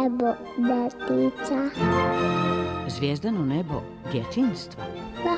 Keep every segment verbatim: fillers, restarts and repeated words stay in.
nebo djetica. Zvijezdano nebo djetinjstva? Da.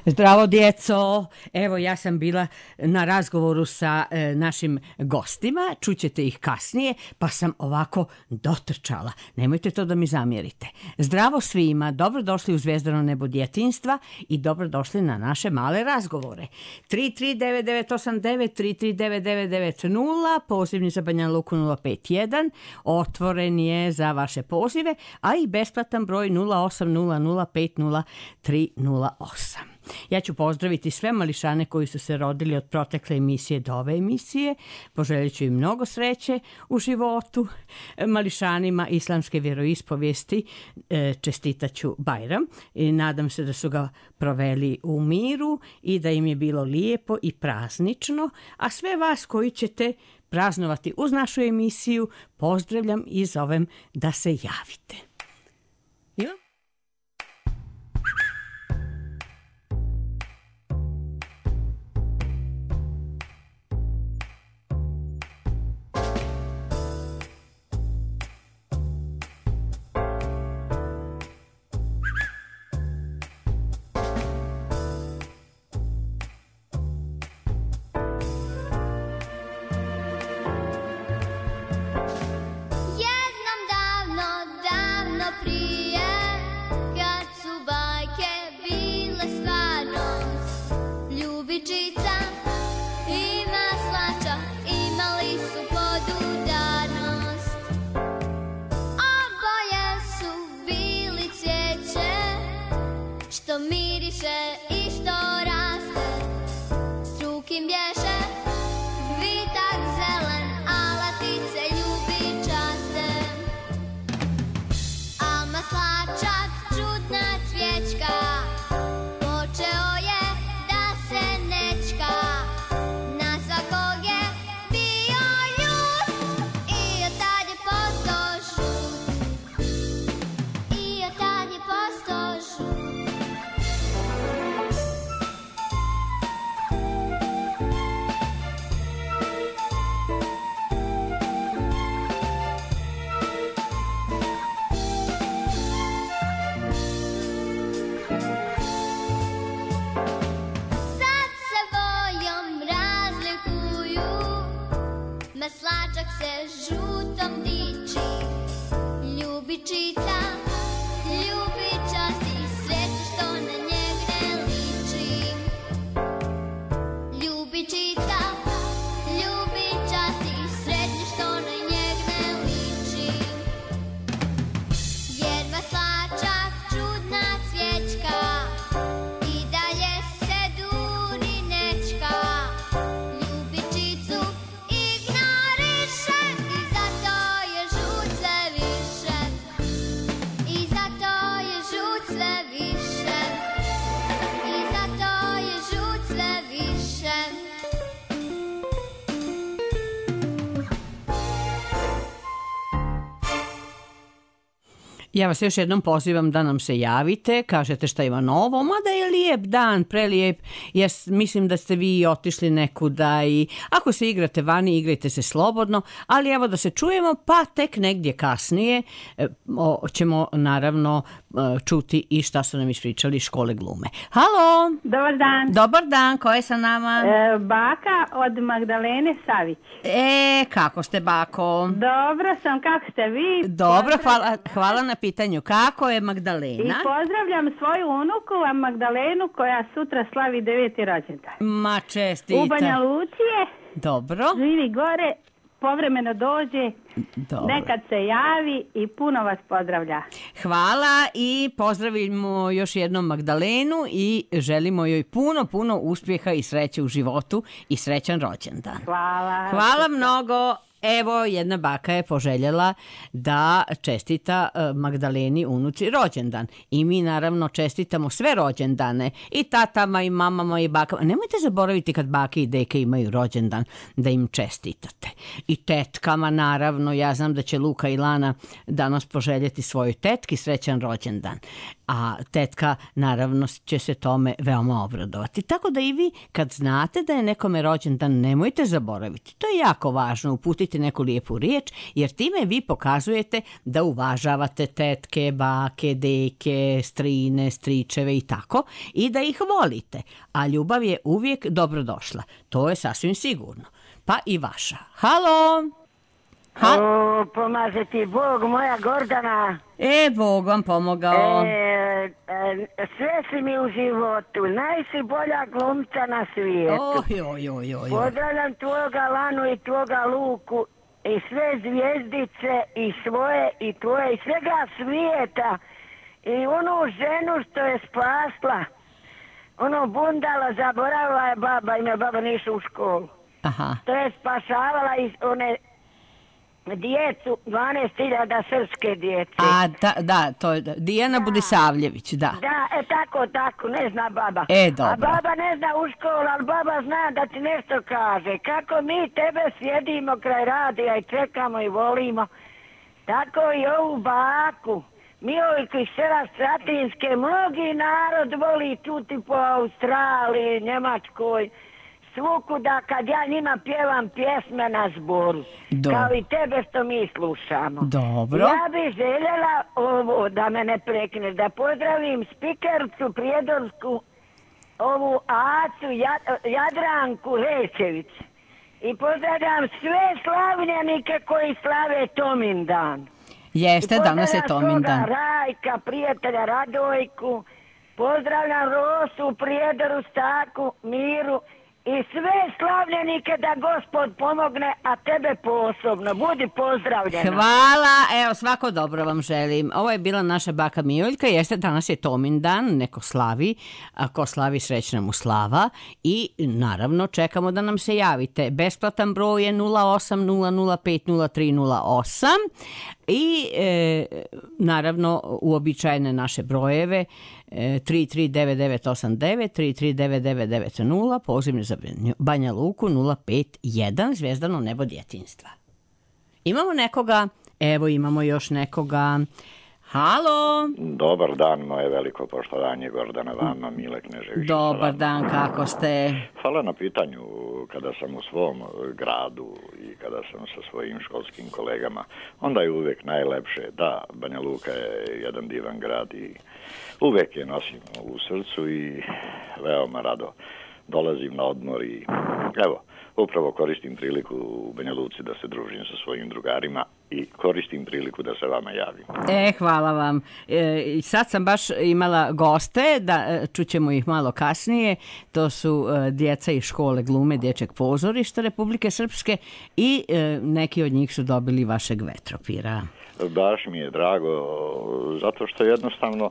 Zdravo djeco, evo ja sam bila na razgovoru sa e, našim gostima, čućete ih kasnije, pa sam ovako dotrčala, nemojte to da mi zamjerite. Zdravo svima, dobrodošli u Zvijezdano nebo djetinjstva i dobrodošli na naše male razgovore. tri tri devet devet osam devet, tri tri devet devet devet nula, pozivni za Banja Luku nula pet jedan, otvoren je za vaše pozive, a i besplatan broj nula osam nula nula pet nula tri nula osam. Ja ću pozdraviti sve mališane koji su se rodili od protekle emisije do ove emisije. Poželit ću im mnogo sreće u životu. Mališanima islamske vjeroispovijesti čestitaću Bajram i nadam se da su ga proveli u miru i da im je bilo lijepo i praznično. A sve vas koji ćete praznovati uz našu emisiju pozdravljam i zovem da se javite. Ima? Ja vas još jednom pozivam da nam se javite, kažete šta ima novo, mada je lijep dan, prelijep. Ja mislim da ste vi otišli nekuda i ako se igrate vani, igrajte se slobodno, ali evo da se čujemo, pa tek negdje kasnije o, ćemo naravno čuti i šta su nam ispričali iz škole glume. Halo! Dobar dan. Dobar dan, ko je sa nama? E, baka od Magdalene Savić. E, kako ste, bako? Dobro sam, kako ste vi? Dobro, hvala, hvala na pitanju. Kako je Magdalena? I pozdravljam svoju unuku, a Magdalenu, koja sutra slavi deveti rođendan. Ma čestita. U Banja Luci je. Dobro. Živi gore povremeno dođe, Dobro. nekad se javi i puno vas pozdravlja. Hvala i pozdravimo još jednom Magdalenu i želimo joj puno, puno uspjeha i sreće u životu i srećan rođendan. Hvala. Hvala mnogo. Evo, jedna baka je poželjela da čestita Magdaleni unuci rođendan. I mi naravno čestitamo sve rođendane. I tatama, i mamama, i bakama. Nemojte zaboraviti kad bake i deke imaju rođendan da im čestitate. I tetkama, naravno. Ja znam da će Luka i Lana danas poželjeti svojoj tetki srećan rođendan. A tetka, naravno, će se tome veoma obradovati. Tako da i vi, kad znate da je nekome rođendan, nemojte zaboraviti. To je jako važno, uputiti neku lijepu riječ, jer time vi pokazujete da uvažavate tetke, bake, deke, strine, stričeve i tako, i da ih volite. A ljubav je uvijek dobrodošla. To je sasvim sigurno. Pa i vaša. Halo! Ha? O, pomaže ti Bog, moja Gordana. E, Bog vam pomogao. E, e, sve si mi u životu. Najsi bolja glumca na svijetu. Oj, oj, oj, oj. Pozdravljam tvoga Lanu i tvoga Luku i sve zvijezdice i svoje i tvoje i svega svijeta. I onu ženu što je spasla. Ono bundala, zaboravila je baba, ime baba nisu u školu. Aha. To je spašavala iz one... djecu, dvanaest hiljada srpske djece. A, da, da, to je Dijana da. Budisavljević, da. Da, e tako, tako, ne zna baba. E, dobro. A baba ne zna u školu, ali baba zna da ti nešto kaže. Kako mi tebe sjedimo kraj radija i čekamo i volimo, tako i ovu baku. Miojku iz sela Stratinske, mnogi narod voli čuti po Australiji, Njemačkoj, svukuda kad ja njima pjevam pjesme na zboru. Dobro. Kao i tebe što mi slušamo. Dobro. Ja bih željela ovo, da me ne prekneš, da pozdravim spikercu prijedorsku, ovu Acu Jadranku Lečević. I pozdravljam sve slavljenike koji slave Tomindan. Jeste, danas je Tomindan. Rajka, prijatelja Radojku, pozdravljam Rosu, Prijedoru, Staku, Miru, i sve slavljenike da Gospod pomogne, a tebe posebno. Budi pozdravljena. Hvala, evo svako dobro vam želim. Ovo je bila naša baka Mijoljka, jeste danas je Tomindan, neko slavi, ako slavi srećna mu slava i naravno čekamo da nam se javite. Besplatan broj je nula osam nula nula pet nula tri nula osam i e, naravno uobičajene naše brojeve tri tri devet devet osam devet, tri tri devet devet devet nula, pozivni za Banja Luku nula pet jedan, Zvijezdano nebo djetinjstva. Imamo nekoga, evo imamo još nekoga. Halo! Dobar dan, moje veliko poštovanje, Gordana vama, Mile Knežević. Dobar dan, kako ste? Hvala na pitanju. Kada sam u svom gradu i kada sam sa svojim školskim kolegama, onda je uvijek najlepše. Da, Banja Luka je jedan divan grad i uvijek je nosim u srcu i veoma rado dolazim na odmor i evo, upravo koristim priliku u Banja Luci da se družim sa svojim drugarima i koristim priliku da se vama javim. E, hvala vam. E, sad sam baš imala goste, da čućemo ih malo kasnije. To su e, djeca iz škole glume Dječjeg pozorišta Republike Srpske i e, neki od njih su dobili vašeg vetropira. Baš mi je drago, zato što jednostavno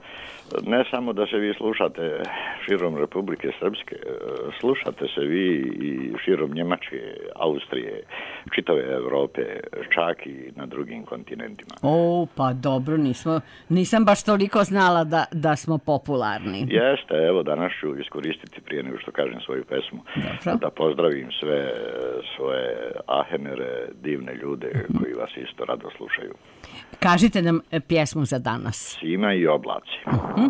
ne samo da se vi slušate širom Republike Srpske, slušate se vi i širom Njemačke, Austrije, čitave Evrope, čak i na drugim kontinentima. O, pa dobro, nismo, nisam baš toliko znala da, da smo popularni. Jeste, evo danas ću iskoristiti prije nego što kažem svoju pesmu, dobro, da pozdravim sve svoje ahenere, divne ljude koji vas isto rado slušaju. Kažite nam pjesmu za danas. Sima i oblaci. Uh-huh.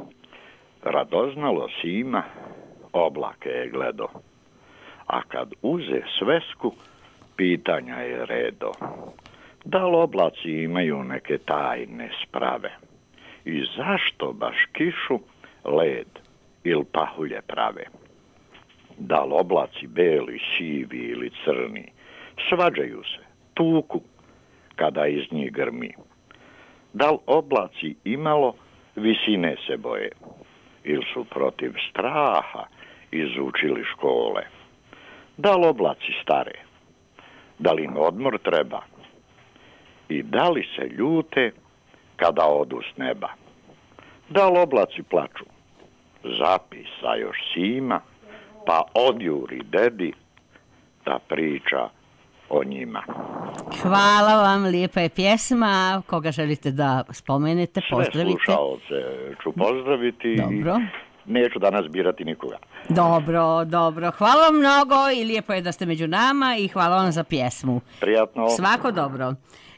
Radoznalo Sima, oblake je gledo, a kad uze svesku, pitanja je redo. Da li oblaci imaju neke tajne sprave? I zašto baš kišu led ili pahulje prave? Da li oblaci beli, sivi ili crni svađaju se, tuku kada iz njih grmi? Da li oblaci imalo visine se boje ili su protiv straha izučili škole? Da li oblaci stare da li im odmor treba i da li se ljute kada odu s neba. Da li oblaci plaču, zapisa još Sima, pa odjuri dedi da priča o njima. Hvala vam, lijepa je pjesma. Koga želite da spomenete, pozdravite? Sve slušaoce ću pozdraviti. Dobro. I neću danas birati nikoga. Dobro, dobro. Hvala vam mnogo i lijepo je da ste među nama i hvala vam za pjesmu. Prijatno. Svako dobro.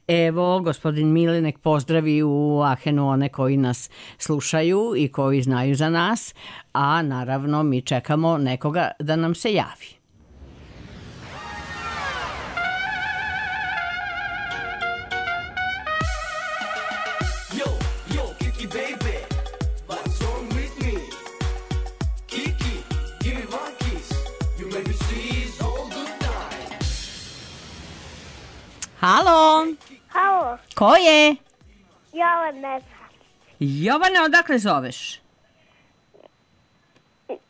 Evo, gospodin Mile nek pozdravi u Ahenu one koji nas slušaju i koji znaju za nas, a naravno mi čekamo nekoga da nam se javi. Halo. Halo, Ko je? Jovana Jovana, odakle zoveš?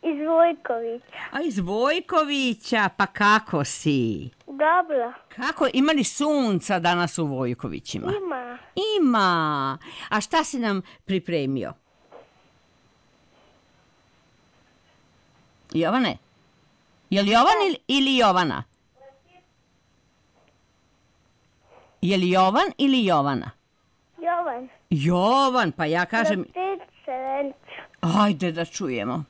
iz Vojkovića. A iz Vojkovića, pa kako si? Dobro, Kako, ima li sunca danas u Vojkovićima? ima. Ima. A šta si nam pripremio? Jovane? Je li Jovan ili, ili Jovana? Je li Jovan ili Jovana? Jovan, Jovan, pa ja kažem... Leptiliću Šelenću, Ajde da čujemo.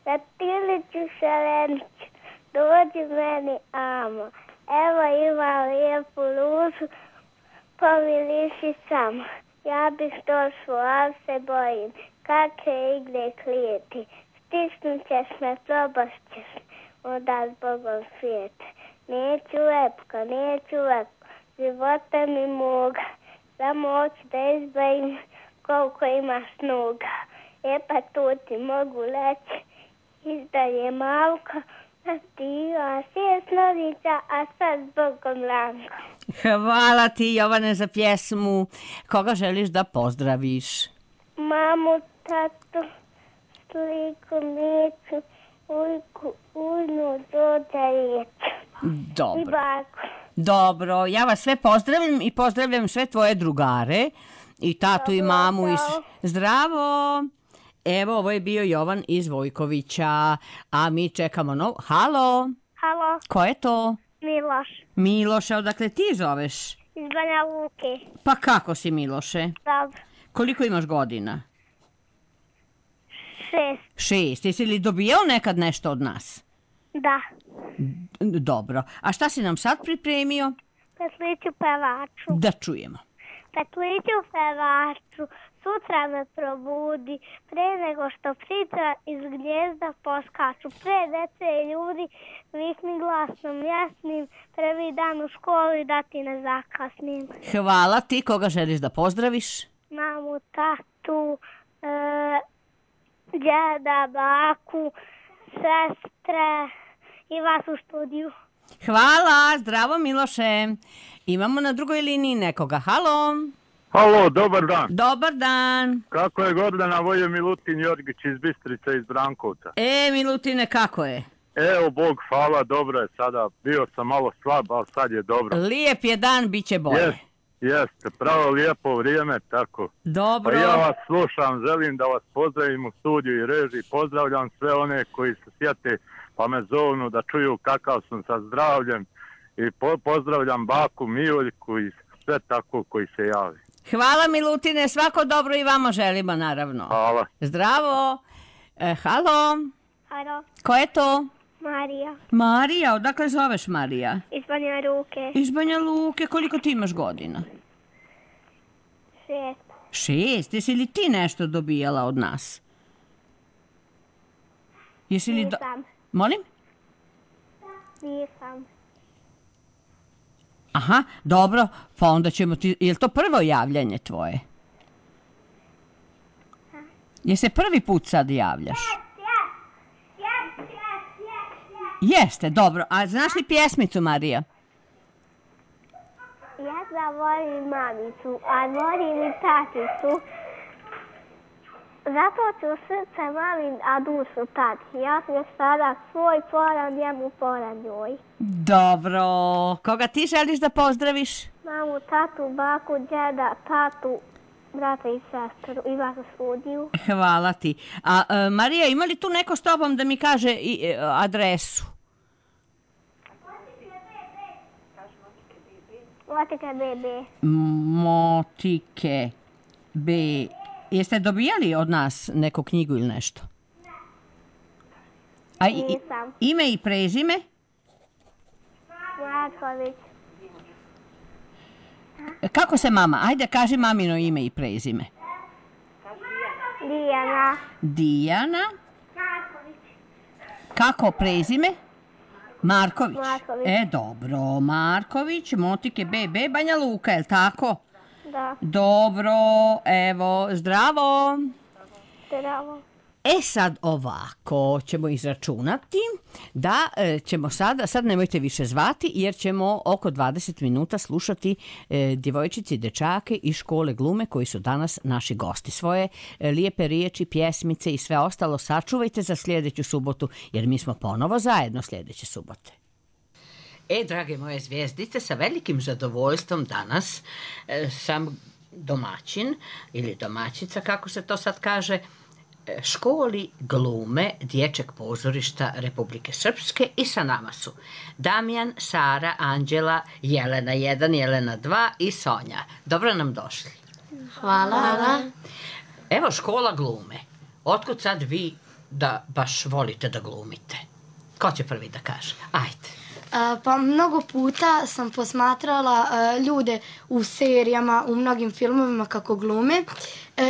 Leptiliću Šelenću, dođi meni amo. Evo ima lijepu luzu, pomiriši samo. Ja bih došla, ali se bojim. Kakve igre klijeti, stisnut ćeš me, probaš ćeš onda s Bogom svijete. Neću lepko, neću lepko, života mi moga, samo hoću da izbavim koliko imaš noga. E pa tu ti mogu reći, izdaje malko, a ti a sjesnovića, a sad s Bogom Lanko. Hvala ti, Jovane, za pjesmu. Koga želiš da pozdraviš? Mamu, tatu, sliku, micu, ujku, ujnu, dođa riječ. I Dobro. baku. Dobro, ja vas sve pozdravim i pozdravljam sve tvoje drugare i tatu i mamu. I... s- Zdravo! Evo, ovo je bio Jovan iz Vojkovića, a mi čekamo nov... Halo! Halo, Ko je to? Miloš, Miloše, odakle ti zoveš? iz Banja Luke. Pa kako si, Miloše? Dobro, Koliko imaš godina? šest, Šest. Jesi li dobijao nekad nešto od nas? da, Dobro. A šta si nam sad pripremio? petliću pevaču. Da čujemo. Petliću pevaču, sutra me probudi, pre nego što ptica iz gnjezda poskaču. Pre dece i ljudi, vikni glasnom jasnim, prvi dan u školi da ti ne zakasnim. Hvala ti. Koga želiš da pozdraviš? Mamu, tatu, e, djeda, baku, sestre i vas u studiju. Hvala. Zdravo, Miloše. Imamo na drugoj liniji nekoga. Halo. Halo, dobar dan. Dobar dan. Kako je Gordana, Vojo Milutin Jorgić iz Bistrice, iz Brankovca. E, Milutine, kako je? Evo, Bog hvala, dobro je sada. Bio sam malo slab, ali sad je dobro. Lijep je dan, bit će bolje. Jest, jeste, pravo lijepo vrijeme, tako. Dobro. Pa ja vas slušam, želim da vas pozdravim u studiju i režiji. Pozdravljam sve one koji se sjete pa me zovnu da čuju kakav sam sa zdravljem. I po- pozdravljam baku Mijoljku i sve tako koji se javi. Hvala, Milutine, svako dobro i vama želimo, naravno. Hvala. Zdravo. E, halo. Halo, Ko je to? Marija, Marija, odakle zoveš Marija? iz Banja Luke, Iz Banja Luke, koliko ti imaš godina? šest, Šest. Jesi li ti nešto dobijala od nas? Jesi li... Do... nisam, Molim? nisam. Aha, dobro, pa onda ćemo ti... Je li to prvo javljanje tvoje? Je se prvi put sad javljaš? Jeste, dobro. A znaš li pjesmicu, Marija? Ja da volim mamicu, a volim i taticu. Zato ću srce mami, a dušu tati. Ja sam još sada svoj poran, njemu poran njoj. Dobro. Koga ti želiš da pozdraviš? Mamu, tatu, baku, djeda, tatu, brata i sestru i vas u studiju. Hvala ti. A e, Marija, ima li tu neko s tobom da mi kaže i, e, adresu? Motike bebe. Motike B. Jeste dobijali od nas neku knjigu ili nešto? A i, Nisam. ime i prezime? Marković. Kako se mama? Ajde, kaži mamino ime i prezime. Dijana. Dijana. Marković. Kako prezime? Marković. Marković. E, dobro. Marković, Motike B B, Banja Luka, je li tako? Da. Dobro, evo, zdravo. Zdravo. E sad ovako ćemo izračunati da e, ćemo sada, sad nemojte više zvati jer ćemo oko dvadeset minuta slušati e, djevojčice i dečake iz škole glume koji su danas naši gosti. Svoje e, lijepe riječi, pjesmice i sve ostalo sačuvajte za sljedeću subotu jer mi smo ponovo zajedno sljedeće subote. E, drage moje zvijezdice, sa velikim zadovoljstvom danas e, sam domaćin ili domaćica, kako se to sad kaže, školi glume Dječjeg pozorišta Republike Srpske i sa nama su Damjan, Sara, Anđela, Jelena jedan, Jelena dva i Sonja. Dobro nam došli. Hvala. Evo škola glume. Otkud sad vi da baš volite da glumite? Ko će prvi da kaže? Ajde. Pa mnogo puta sam posmatrala ljude u serijama, u mnogim filmovima kako glume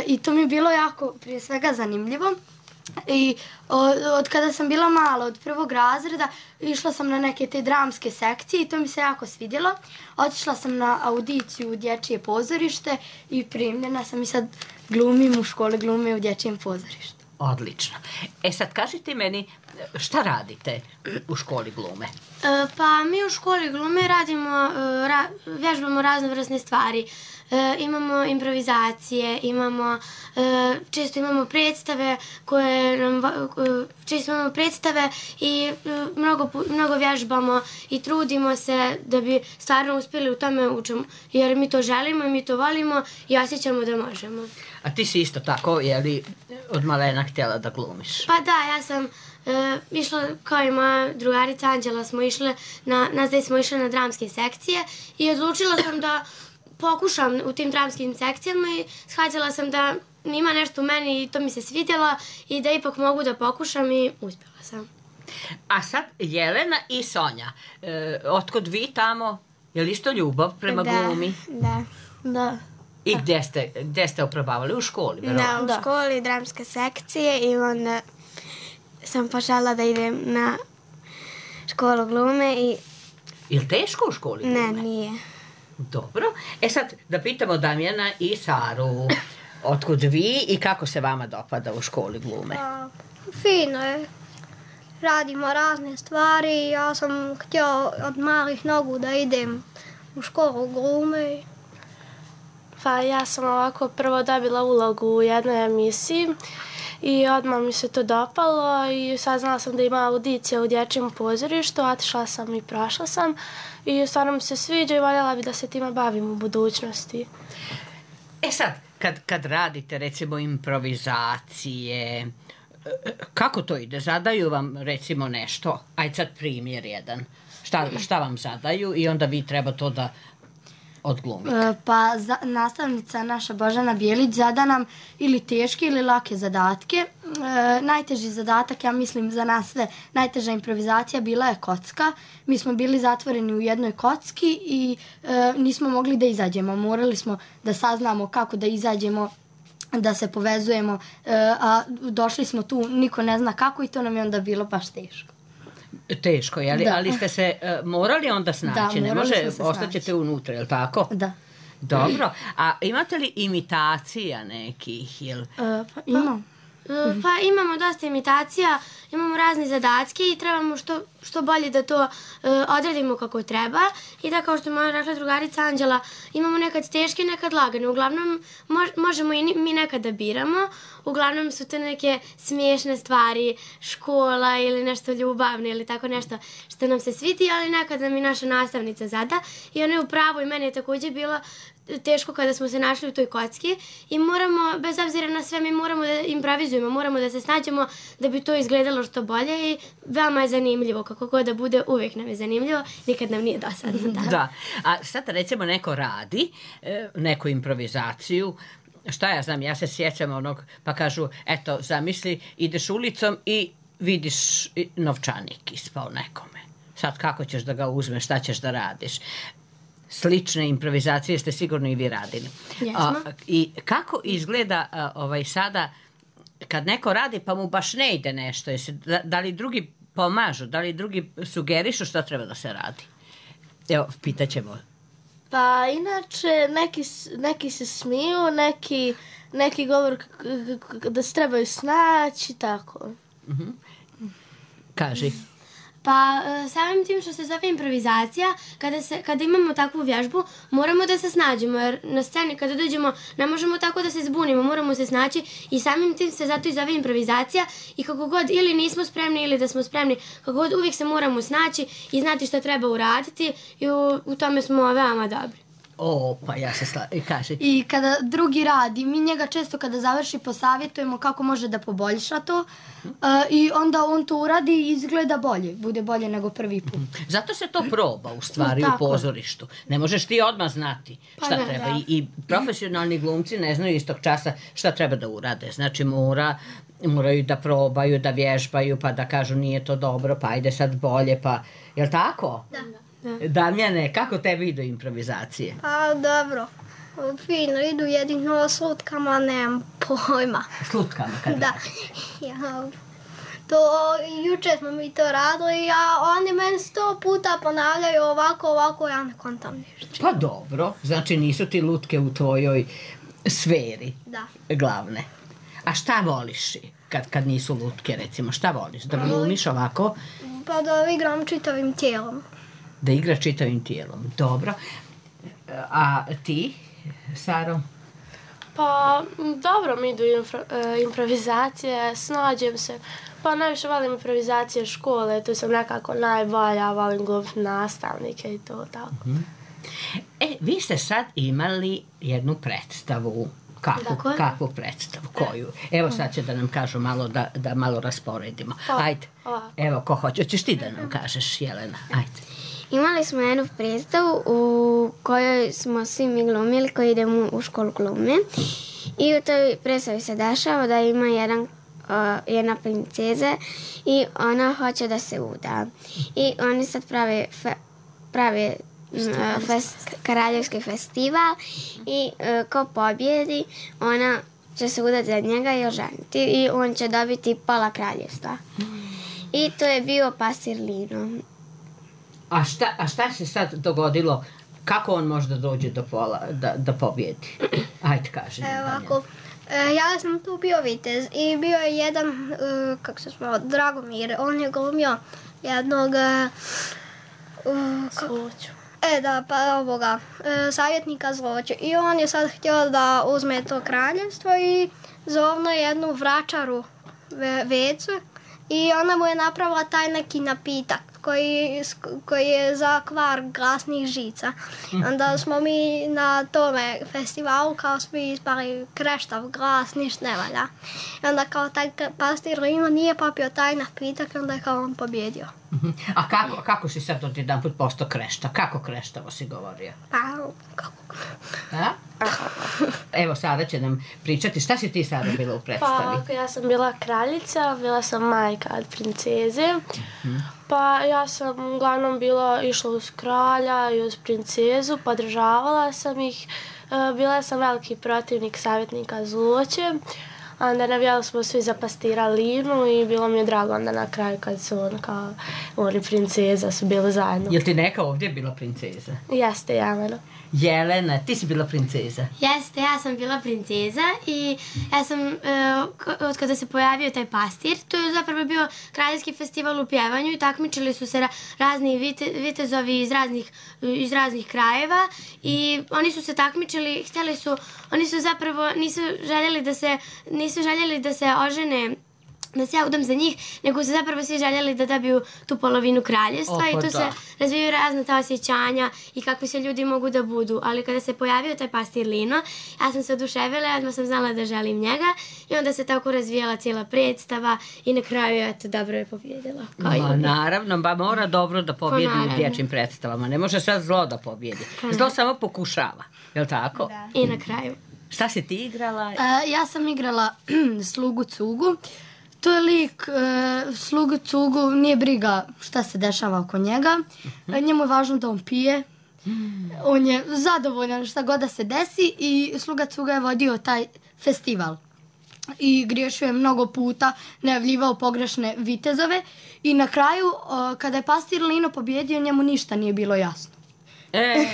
i to mi je bilo jako prije svega zanimljivo. I od, od kada sam bila mala, od prvog razreda, išla sam na neke te dramske sekcije i to mi se jako svidjelo. Otišla sam na audiciju u Dječje pozorište i primljena sam i sad glumim u škole glume u Dječjem pozorištu. Odlično. E sad kažite meni šta radite u školi glume? E, pa mi u školi glume radimo, ra, vježbamo raznovrsne stvari. E, imamo improvizacije, imamo, e, često imamo predstave koje nam, često imamo predstave i e, mnogo, mnogo vježbamo i trudimo se da bi stvarno uspjeli u tome u čemu, jer mi to želimo i mi to volimo i osjećamo da možemo. A ti si isto tako, je li od malena htjela da glumiš? Pa da, ja sam e, išla, kao i moja drugarica Anđela, smo išle na, nas dvije smo išle na dramske sekcije i odlučila sam da pokušam u tim dramskim sekcijama i shvatila sam da ima nešto u meni i to mi se svidjelo i da ipak mogu da pokušam i uspjela sam. A sad Jelena i Sonja, e, otkud vi tamo, je li isto ljubav prema da, glumi? Da, Da. I gdje ste, gdje ste oprobavali? U školi? Da, u Da. školi dramske sekcije i onda sam počela da idem na školu glume i Je li teško u školi glume? ne, nije. Dobro. E sad da pitamo Damjana i Saru, otkud vi i kako se vama dopada u školi glume? Pa, fino je. Radimo razne stvari. Ja sam htio od malih nogu da idem u školu glume. Pa ja sam ovako prvo dobila ulogu u jednoj emisiji i odmah mi se to dopalo i saznala sam da ima audicija u Dječjem pozorištu, otišla sam i prošla sam i stvarno mi se sviđa i voljela bi da se time bavim u budućnosti. E sad, kad, kad radite recimo improvizacije, kako to ide? Zadaju vam recimo nešto? Ajde sad primjer jedan. Šta, šta vam zadaju i onda vi treba to da odglumite? E, Pa za, nastavnica naša Božana Bijelić zada nam ili teške ili lake zadatke. E, najteži zadatak, ja mislim za nas sve, najteža improvizacija bila je kocka. Mi smo bili zatvoreni u jednoj kocki i e, nismo mogli da izađemo. Morali smo da saznamo kako da izađemo, da se povezujemo, e, a došli smo tu, niko ne zna kako i to nam je onda bilo baš teško. Teško, je li? Da. Ali ste se uh, morali onda snaći, Da, ne morali može, smo se ostaćete snaći. unutra, je li tako? Da. Dobro, a imate li imitacija nekih, jel? E, pa imam. Pa imamo dosta imitacija, imamo razne zadatke i trebamo što, što bolje da to uh, odradimo kako treba i da, kao što je moja rekla drugarica Anđela, imamo nekad teške, nekad lagane. Uglavnom, mož, možemo i mi nekad da biramo, uglavnom su to neke smiješne stvari, škola ili nešto ljubavno ili tako nešto što nam se sviti, ali nekad nam i naša nastavnica zada i ona je u pravu i meni je također bilo teško kada smo se našli u toj kocki i moramo, bez obzira na sve, mi moramo da improvizujemo, moramo da se snađemo da bi to izgledalo što bolje i veoma je zanimljivo, kako god da bude, uvijek nam je zanimljivo, nikad nam nije dosadno. Da, da. A sad recimo neko radi, neku improvizaciju, šta ja znam, ja se sjećam onog, pa kažu, eto, zamisli, ideš ulicom i vidiš novčanik ispao nekome. Sad kako ćeš da ga uzmeš, šta ćeš da radiš? Slične improvizacije ste sigurno i vi radili. A, I kako izgleda a, ovaj sada kad neko radi pa mu baš ne ide nešto? Jesi, da, da li drugi pomažu, da li drugi sugerišu šta treba da se radi? Evo, pitaćemo. Pa inače neki, neki se smiju, neki, neki govor da se trebaju snaći, tako. Uh-huh. Kaži. Pa samim tim što se zove improvizacija, kada, se, kada imamo takvu vježbu, moramo da se snađemo, jer na sceni kada dođemo ne možemo tako da se zbunimo, moramo se snaći i samim tim se zato i zove improvizacija i kako god ili nismo spremni ili da smo spremni, kako god uvijek se moramo snaći i znati što treba uraditi i u, u tome smo veoma dobri. O, pa ja se sla... kaži. I kada drugi radi, mi njega često kada završi posavjetujemo kako može da poboljša to uh, i onda on to uradi i izgleda bolje, bude bolje nego prvi put. Zato se to proba u stvari u pozorištu. Ne možeš ti odmah znati šta pa ne, treba. I, I profesionalni glumci ne znaju istog časa šta treba da urade. Znači mora, moraju da probaju, da vježbaju, pa da kažu nije to dobro, pa ajde sad bolje, pa... Jel' tako? Da. Da. Damjane, kako tebi idu improvizacije? Pa dobro, fino, idu jedino s lutkama, nemam pojma. S lutkama kada? Da, ja, to, juče smo mi to radili, a oni meni sto puta ponavljaju ovako, ovako, ja ne kontam ništa. Pa dobro, znači nisu ti lutke u tvojoj sferi da. Glavne. A šta voliš kad, kad nisu lutke, recimo, šta voliš? Da glumiš ovako? Pa da igram čitavim tijelom. Da igra čitavim tijelom. Dobro. A ti, Saro? Pa, dobro mi idu infra, uh, improvizacije, snađem se. Pa najviše volim improvizacije škole, tu sam nekako najbolja, volim glumiti nastavnike i to tako. Mm-hmm. E, vi ste sad imali jednu predstavu. Kakvu, kakvu predstavu? Koju? Evo sad će da nam kažu malo, da, da malo rasporedimo. Ajde. Evo, ko hoće. Hoćeš ti da nam kažeš, Jelena? Ajde. Imali smo jednu predstavu u kojoj smo svi mi glumili koji idemo u školu glume i u toj predstavi se dešava da ima jedan, uh, jedna princeza i ona hoće da se uda i oni sad prave, fe, prave uh, fest, kraljevski festival i uh, ko pobjedi ona će se udati za njega i oženiti i on će dobiti pola kraljevstva i to je bio pastir Lino. A šta, a šta se sad dogodilo? Kako on može da dođe do pola, da, da pobjedi? Ajde, kaži. Evo ovako, e, ja sam tu bio vitez i bio je jedan, e, kako se zvao, Dragomir. On je glumio jednog... E, Zloću. E, da, pa ovoga, e, savjetnika Zloću. I on je sad htio da uzme to kraljevstvo i zovno jednu vračaru ve, vecu i ona mu je napravila taj neki napitak koji, koji je za kvar glasnih žica. Onda smo mi na tome festivalu kao svi ispali kreštav glas, ništa ne valja. I onda kao taj pastir Lino nije popio taj napitak i onda je kao on pobjedio. A kako, kako si sad od jedan put postao krešta? Kako kreštavo si govorio? Pa, kako? A? Evo, Sara će nam pričati. Šta si ti, Sara, bila u predstavi? Pa, ja sam bila kraljica, bila sam majka od princeze. Hmm. Pa, ja sam uglavnom bila, išla uz kralja i uz princezu, podržavala sam ih. Bila sam veliki protivnik savjetnika Zloće. A onda navijali smo svi za pastira Linu i bilo mi je drago onda na kraju kad su on kao oni princeza su bili zajedno. Jel ti neka ovdje bila princeza? Jeste, Jelena. Jelena, ti si bila princeza? Jeste, ja sam bila princeza i ja sam, uh, od kada se pojavio taj pastir, to je zapravo bio kraljevski festival u pjevanju i takmičili su se ra razni vite, vitezovi iz raznih, iz raznih krajeva i oni su se takmičili, htjeli su, oni su zapravo, nisu željeli da se, nisu željeli da se ožene, da se ja udam za njih, nego su zapravo svi željeli da dobiju tu polovinu kraljevstva. Opa, i tu da. se razvijaju razne ta osjećanja i kakvi se ljudi mogu da budu. Ali kada se pojavio taj pastir Lino, ja sam se oduševila, odmah sam znala da želim njega i onda se tako razvijala cijela predstava i na kraju, eto, dobro je pobjedila. Ma, naravno, ba mora dobro da pobjedi u dječjim predstavama. Ne može sad zlo da pobjedi. Zlo samo pokušava, je li tako? Da. I na kraju. Šta si ti igrala? Uh, ja sam igrala slugu Cugu. To je lik, e, slugu Cugu, nije briga šta se dešava oko njega. Uh-huh. Njemu je važno da on pije. Mm. On je zadovoljan šta god da se desi i sluga Cuga je vodio taj festival. I griješio je mnogo puta, najavljivao pogrešne vitezove. I na kraju, o, kada je pastir Lino pobjedio, njemu ništa nije bilo jasno. E,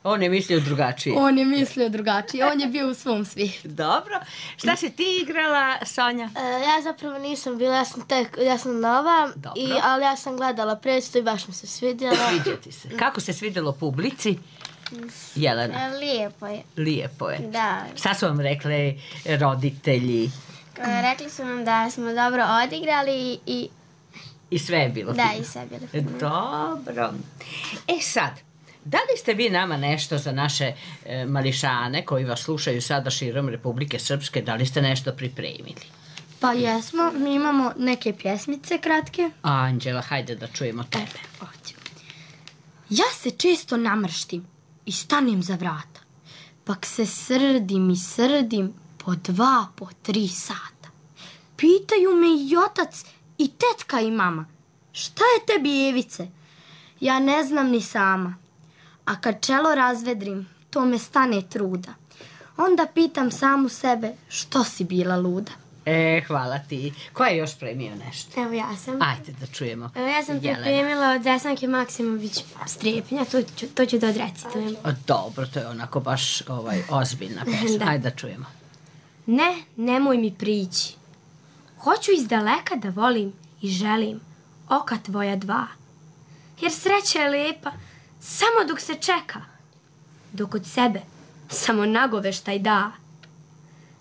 on je mislio drugačije. On je mislio drugačije, on je bio u svom svijetu. Dobro. Šta si ti igrala, Sonja? E, ja zapravo nisam bila, ja sam, tek, ja sam nova, i, ali ja sam gledala predstavu i baš mi se svidjela. Sviđa ti se. Kako se svidjelo publici? Jelena? Lijepo je. Lijepo je. Da. Šta su vam rekli roditelji? Rekli su nam da smo dobro odigrali i... I sve je bilo da, fino. Da, i sve je bilo fino. Dobro. E sad, da li ste vi nama nešto za naše e, mališane koji vas slušaju sada širom Republike Srpske, da li ste nešto pripremili? Pa jesmo, mi imamo neke pjesmice kratke. Anđela, hajde da čujemo tebe. Hoću. Ja se često namrštim i stanem za vrata, pak se srdim i srdim po dva, po tri sata. Pitaju me i otac i tetka i mama, šta je tebi, Evice? Ja ne znam ni sama. A kad čelo razvedrim, to me stane truda. Onda pitam samu sebe, što si bila luda? E, hvala ti. Ko je još premio nešto? Evo ja sam. Ajde da čujemo. Evo ja sam pripremila od Desanke Maksimović Strepnja, to ću, to ću da odrecitujem. Dobro, to je onako baš ovaj, ozbiljna pesma. Da. Ajde da čujemo. Ne, nemoj mi prići. Hoću iz daleka da volim i želim oka tvoja dva. Jer sreća je lepa samo dok se čeka, dok od sebe samo nagoveštaj da.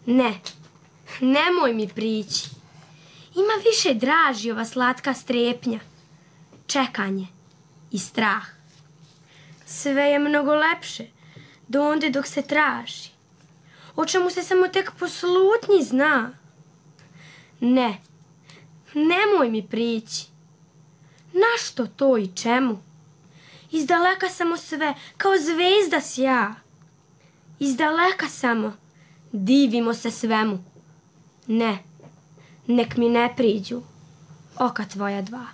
Ne, nemoj mi prići. Ima više draži ova slatka strepnja, čekanje i strah. Sve je mnogo lepše do onde dok se traži, o čemu se samo tek po slutnji zna. Ne, nemoj mi prići. Našto to i čemu? Iz daleka samo sve, kao zvezda sja. Iz daleka samo, divimo se svemu. Ne, nek mi ne priđu oka tvoja dva.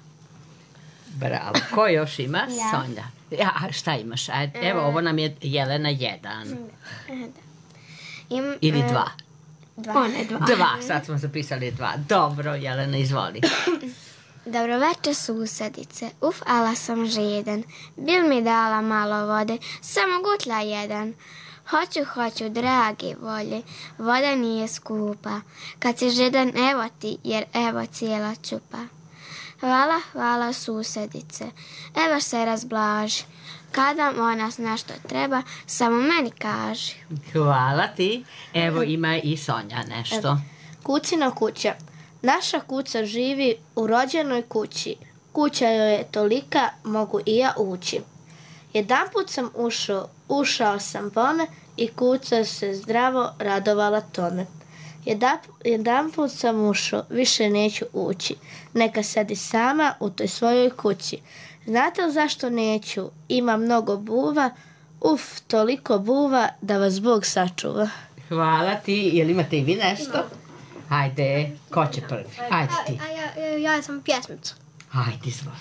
Bravo. Ko još ima? Ja. Sonja. Ja, šta imaš? Ajde, evo, ovo nam je Jelena jedan. Im, Ili dva. Dva. One dva. Dva, sad smo zapisali dva. Dobro, Jelena, izvoli. Dobro večer, susedice. Uf, ala sam žedan. Bil mi dala malo vode, samo gutla jedan. Hoću, hoću, dragi volje, voda nije skupa. Kad si žedan, evo ti, jer evo cijela čupa. Hvala, hvala, susedice. Evo se razblaži. Kada ona zna što treba, samo meni kaži. Hvala ti. Evo ima i Sonja nešto. Kucina kuća. Naša kuća živi u rođenoj kući. Kuća joj je tolika, mogu i ja ući. Jedanput sam ušao, ušao sam bome i kuća se zdravo radovala tome. Jedan, jedanput sam ušao, više neću ući. Neka sedi sama u toj svojoj kući. Znate li zašto neću? Ima mnogo buva, uf, toliko buva da vas Bog sačuva. Hvala ti. Jel imate i vi nešto? Hajde, ko će prvi? Ajde ti. A, a ja, ja sam pjesmica. Hajde, izvoli.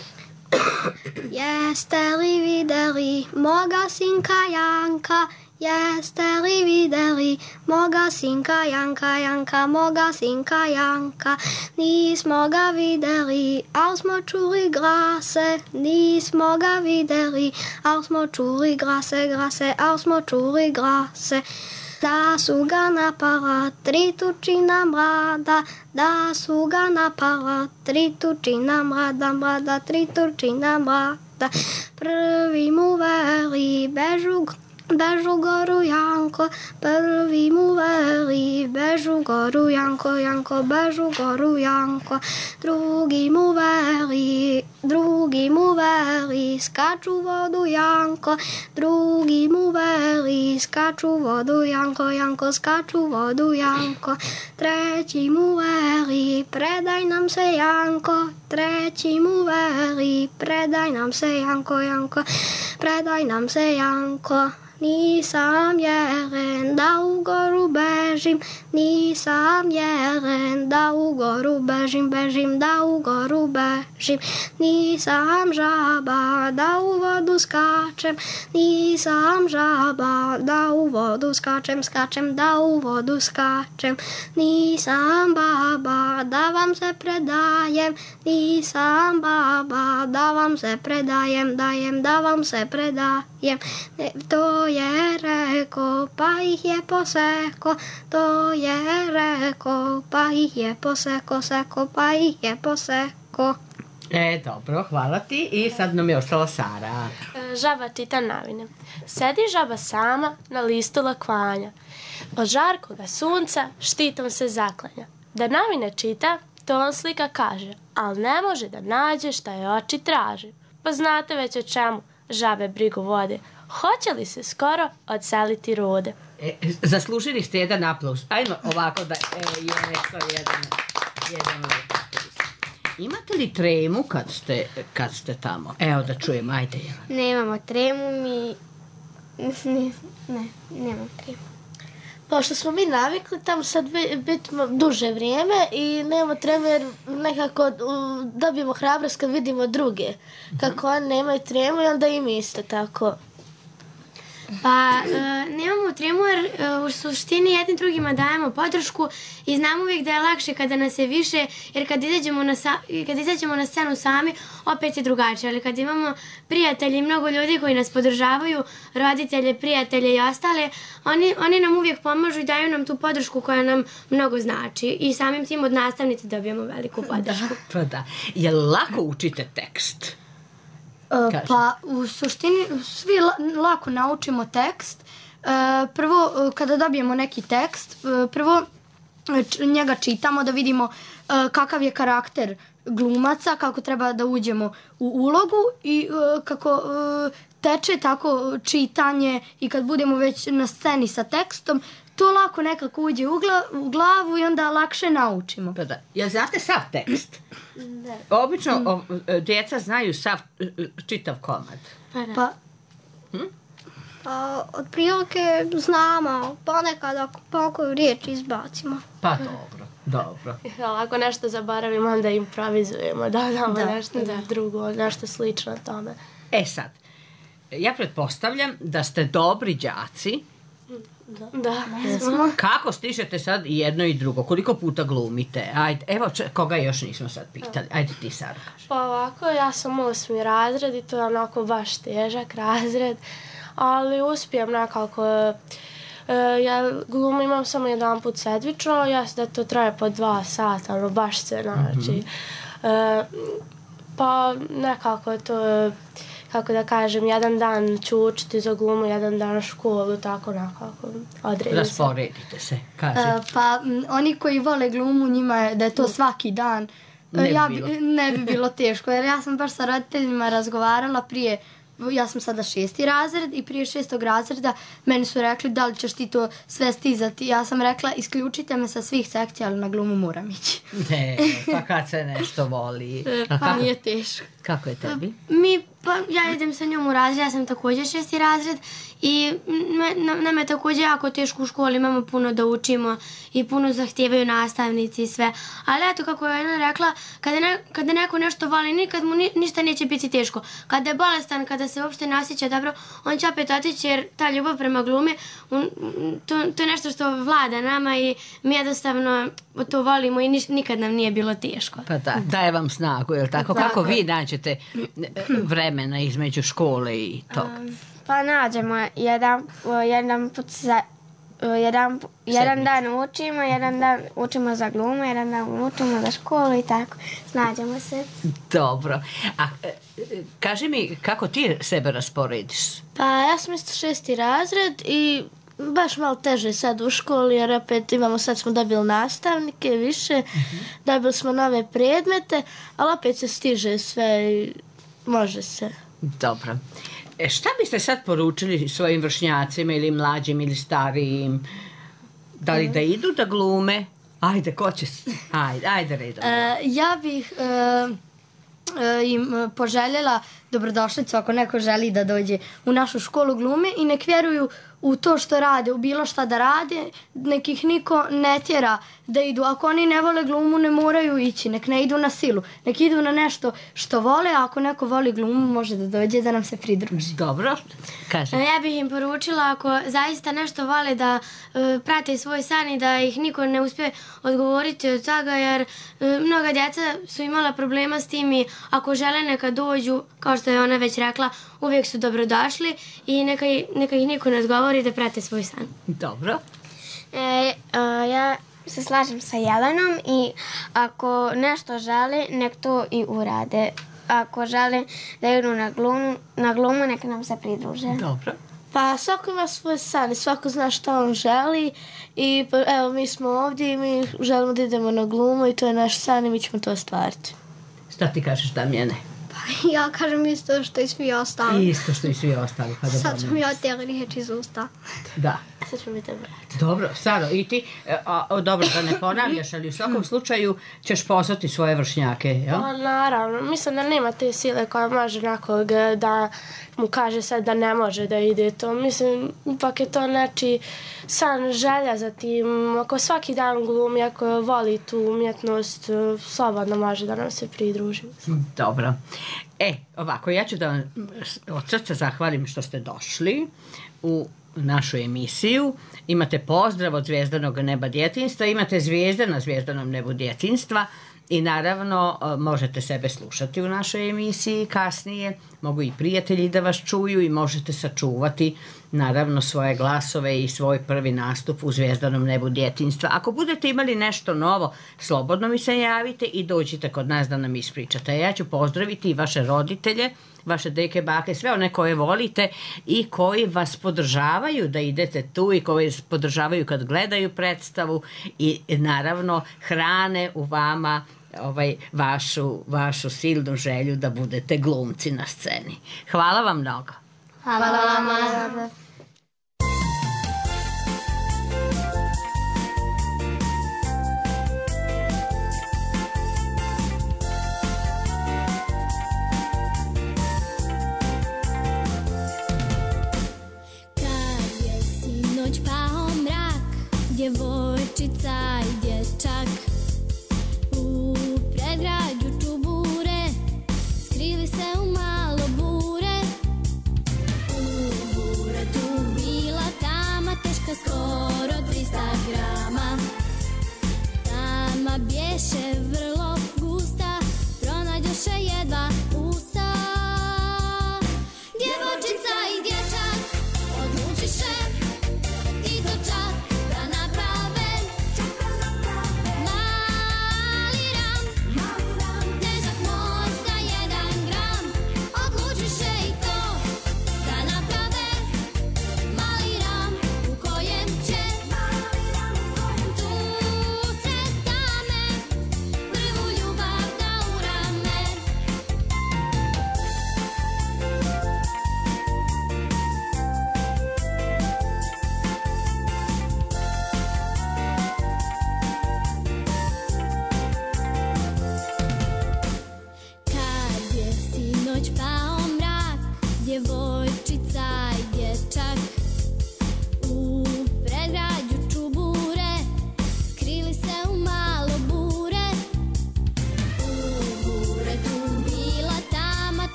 Jeste li vidjeli moga sinka Janka? Jeste li videli moga sinka Janka, Janka, moga sinka Janka? Nismo ga videli, al smo čuli glase. Nismo ga videli, al smo čuli glase, glase, al smo čuli glase. Da su ga napala tri tučina mlada, da su ga napala tri tučina mlada, mlada, tri tučina mlada. Prvi mu veli bežu, bežu goru Janko, prvi mu veli bežu goru Janko, Janko, bežu goru Janko. Drugi mu veli, drugi mu veli skaču vodu Janko, drugi mu veli skaču vodu Janko, Janko, skaču vodu Janko. Treći mu veli predaj nam se Janko, treći mu veli predaj nam se Janko, Janko, predaj nam se Janko. Nisam jelen da u goru bežim, nisam jelen da u goru bežim, bežim da u goru bežim. Nisam žaba da u vodu skačem, nisam žaba da u vodu skačem, skačem da u vodu skačem. Nisam baba da vam se predajem, nisam baba da vam se predajem, dajem da vam se predajem. Ne, to je reko, pa ih je poseko, to je reko, pa ih je poseko, seko, pa ih je poseko. E, dobro, hvala ti. I sad nam je ostala Sara. Žaba čita novine. Sedi žaba sama na listu lakvanja. Od žarkoga sunca štitom se zaklanja. Da novine čita, to on slika kaže, al ne može da nađe šta je oči traži. Pa znate već o čemu žabe brigu vode. Hoće li se skoro odseliti rode? E, zaslužili ste jedan aplauz. Ajmo ovako da... E, je, to je jedan, jedan aplauz. Imate li tremu kad ste, kad ste tamo? Evo da čujem, ajde. Nemamo tremu, mi... Ne, ne, nemamo tremu. Pošto smo mi navikli tamo sad biti duže vrijeme i nemamo tremu jer nekako dobijemo hrabrost kad vidimo druge. Kako oni nemaju tremu i onda i mi isto tako. Pa e, nemamo tremu jer e, u suštini jednim drugima dajemo podršku i znamo uvijek da je lakše kada nas je više, jer kad izađemo na, sa, kad izađemo na scenu sami opet je drugačije, ali kad imamo prijatelje i mnogo ljudi koji nas podržavaju, roditelje, prijatelje i ostale, oni, oni nam uvijek pomažu i daju nam tu podršku koja nam mnogo znači i samim tim od nastavnice dobijemo veliku podršku. Da, pa da. Je li lako učite tekst? Uh, pa u suštini svi la, lako naučimo tekst. Uh, prvo uh, kada dobijemo neki tekst, uh, prvo č, njega čitamo da vidimo uh, kakav je karakter glumaca, kako treba da uđemo u ulogu i uh, kako uh, teče tako čitanje i kad budemo već na sceni sa tekstom, to lako nekako uđe u, gla, u glavu i onda lakše naučimo. Pa da. Jel znate sav tekst? Da. Obično mm. o, djeca znaju sav čitav komad. Pa da. Pa, hm? Pa otprilike znamo, ponekad ako pokoju riječ izbacimo. Pa dobro, dobro. Ako nešto zaboravimo, onda improvizujemo, dodamo da, nešto da. drugo, nešto slično tome. E sad, ja pretpostavljam da ste dobri đaci. Da. Da. Kako stižete sad i jedno i drugo? Koliko puta glumite? Ajde, evo če, koga još nismo sad pitali. Ajde ti, Sara, kaži. Pa ovako, ja sam osmi razred i to je onako baš težak razred, ali uspijem nekako. E, ja glumu imam samo jedan put sedmično, ja da to traje po dva sata, ono baš se znači. Mm-hmm. E, pa nekako to... kako da kažem, jedan dan ću učiti za glumu, jedan dan školu, tako nekako odredim se. Rasporedite se, kaži. Uh, pa m, oni koji vole glumu, njima je da je to svaki dan. Ne bi ja bilo. bi, ne bi bilo teško, jer ja sam baš sa roditeljima razgovarala prije, ja sam sada šesti razred i prije šestog razreda meni su rekli da li ćeš ti to sve stizati. Ja sam rekla isključite me sa svih sekcija, ali na glumu moram ići. Ne, pa kad se nešto voli. Pa kako, nije teško. Kako je tebi? Mi, pa ja idem sa njom u razred, ja sam također šesti razred I nam je također jako teško u školi, imamo puno da učimo i puno zahtijevaju nastavnici i sve. Ali eto, kako je jedna rekla, kada, ne, kada neko nešto voli, nikad mu ni, ništa neće biti teško. Kada je bolestan, kada se uopšte ne osjeća dobro, on će opet otići jer ta ljubav prema glumi, un, to, to je nešto što vlada nama i mi jednostavno to volimo i niš, nikad nam nije bilo teško. Pa da, daje vam snagu, je li tako? tako? Kako vi nađete vremena između škole i toga? Um, pa nađemo jedan, jedan put za... Jedan, jedan dan učimo, jedan dan učimo za glumu, jedan dan učimo za školu i tako. Snađemo se. Dobro. A kaži mi, kako ti sebe rasporediš? Pa ja sam isto šesti razred i baš malo teže sad u školi jer opet imamo, sad smo dobili nastavnike više, uh-huh. dobili smo nove predmete, ali opet se stiže sve i može se. Dobro. E, šta biste sad poručili svojim vršnjacima ili mlađim ili starijim? Da li da idu da glume? Ajde, ko će? Ajde, ajde redom. E, ja bih e, e, im poželjela dobrodošlicu ako neko želi da dođe u našu školu glume i nek vjeruju u to što rade, u bilo šta da rade, nek ih niko ne tjera da idu. Ako oni ne vole glumu, ne moraju ići, nek ne idu na silu, nek idu na nešto što vole, a ako neko voli glumu, može da dođe da nam se pridruži. Dobro, kaže. Ja bih im poručila ako zaista nešto vole da uh, prate svoj san i da ih niko ne uspije odgovoriti od toga, jer uh, mnoga djeca su imala problema s tim i ako žele neka dođu, kao što je ona već rekla, uvijek su dobrodošli i neka, neka ih niko ne odgovori da prate svoj san. Dobro. E, a, ja se slažem sa Jelenom i ako nešto žele, nek to i urade. Ako žele da idu na glumu, na glumu nek nam se pridruže. Dobro. Pa svako ima svoj san i svako zna šta on želi i evo mi smo ovdje i mi želimo da idemo na glumu i to je naš san i mi ćemo to ostvariti. Šta ti kažeš, Damjane? Pa ja kažem isto što i svi ostali. Isto što i svi ostali. Pa sad sam ja te riječi iz usta. Da. Sad ćemo mi te vrati. Dobro, Saro, i ti, a, a, dobro da ne ponavljaš, ali u svakom slučaju ćeš poslati svoje vršnjake, jel? Pa naravno, mislim da nema te sile koja može nekog da mu kaže sad da ne može da ide to. Mislim, ipak je to neči san, želja za tim. Ako svaki dan glumi, ako voli tu umjetnost, slobodno može da nam se pridruži. Dobro. E, ovako, ja ću da vam od srca zahvalim što ste došli u našu emisiju. Imate pozdrav od Zvijezdanog neba djetinjstva, imate zvijezde na Zvijezdanom nebu djetinjstva i naravno možete sebe slušati u našoj emisiji kasnije, mogu i prijatelji da vas čuju i možete sačuvati naravno svoje glasove i svoj prvi nastup u Zvijezdanom nebu djetinjstva. Ako budete imali nešto novo, slobodno mi se javite i dođite kod nas da nam ispričate. Ja ću pozdraviti i vaše roditelje, vaše deke, bake, sve one koje volite i koji vas podržavaju da idete tu i koji vas podržavaju kad gledaju predstavu i naravno hrane u vama ovaj, vašu, vašu silnu želju da budete glumci na sceni. Hvala vam mnogo. Hvala, Hvala vama. Djevojčica i dječak u predgrađu čubure skrili se u malo bure, u buretu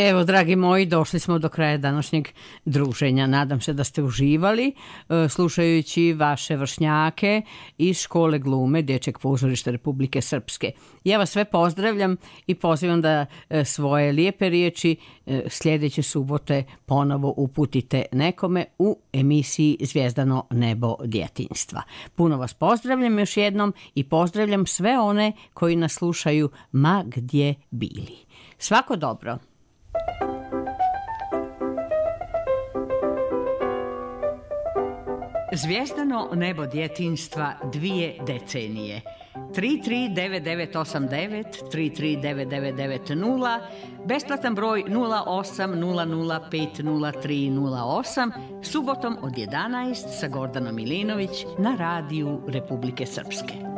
Evo, dragi moji, došli smo do kraja današnjeg druženja. Nadam se da ste uživali e, slušajući vaše vršnjake iz škole glume Dječjeg pozorišta Republike Srpske. Ja vas sve pozdravljam i pozivam da e, svoje lijepe riječi e, sljedeće subote ponovo uputite nekome u emisiji Zvijezdano nebo djetinjstva. Puno vas pozdravljam još jednom i pozdravljam sve one koji nas slušaju ma gdje bili. Svako dobro! Zvijezdano nebo djetinjstva dvije decenije. tri tri devet devet osam devet, tri tri devet devet devet nula, besplatan broj nula osam nula nula pet nula tri nula osam, subotom od jedanaest sa Gordanom Milinović na radiju Republike Srpske.